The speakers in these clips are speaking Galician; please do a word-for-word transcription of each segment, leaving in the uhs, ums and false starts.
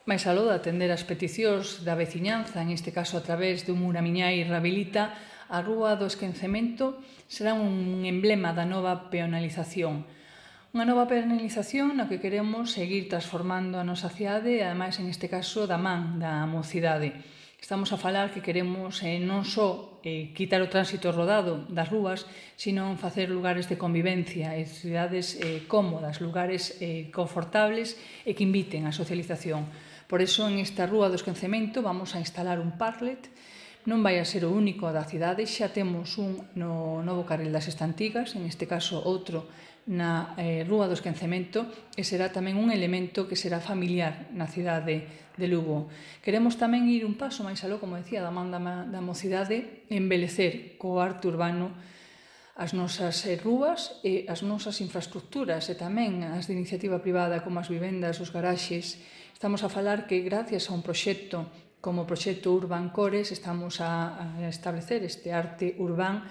máis aló de atender as peticións da veciñanza, en este caso a través dun Uramiñai Rehabilita, a Rúa do Esquecemento será un emblema da nova peonalización. Unha nova peonalización na que queremos seguir transformando a nosa cidade e, ademais, en este caso, da man da mocidade. Estamos a falar que queremos eh, non só eh, quitar o tránsito rodado das rúas, sino facer lugares de convivencia e cidades eh, cómodas, lugares eh, confortables e que inviten á socialización. Por iso, en esta Rúa do Esquecemento vamos a instalar un parklet. Non vai a ser o único da cidade, xa temos un no novo carril das Estantigas, en este caso outro na eh, Rúa do Esquecemento, e será tamén un elemento que será familiar na cidade de Lugo. Queremos tamén ir un paso máis aló, como decía, da man da, da mocidade, embelecer co arte urbano as nosas eh, rúas e as nosas infraestructuras e tamén as de iniciativa privada como as vivendas, os garaxes. Estamos a falar que gracias a un proxecto como o proxecto Urban Cores estamos a, a establecer este arte urbán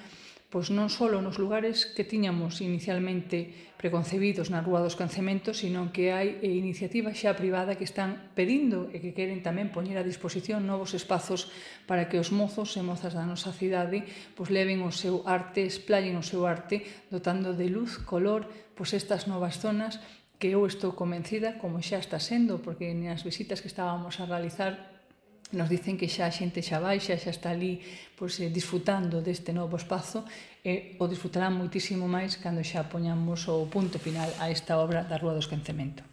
pois non só nos lugares que tiñamos inicialmente preconcebidos na Rúa dos Esquecementos, sino que hai iniciativas xa privada que están pedindo e que queren tamén poñer a disposición novos espazos para que os mozos e mozas da nosa cidade pois leven o seu arte, esplallen o seu arte, dotando de luz, color, pois estas novas zonas que eu estou convencida, como xa está sendo, porque nas visitas que estábamos a realizar nos dicen que xa a xente xa baixa, xa está ali pois, disfrutando deste novo espazo e o disfrutarán moitísimo máis cando xa poñamos o punto final a esta obra da Rúa do Esquecemento.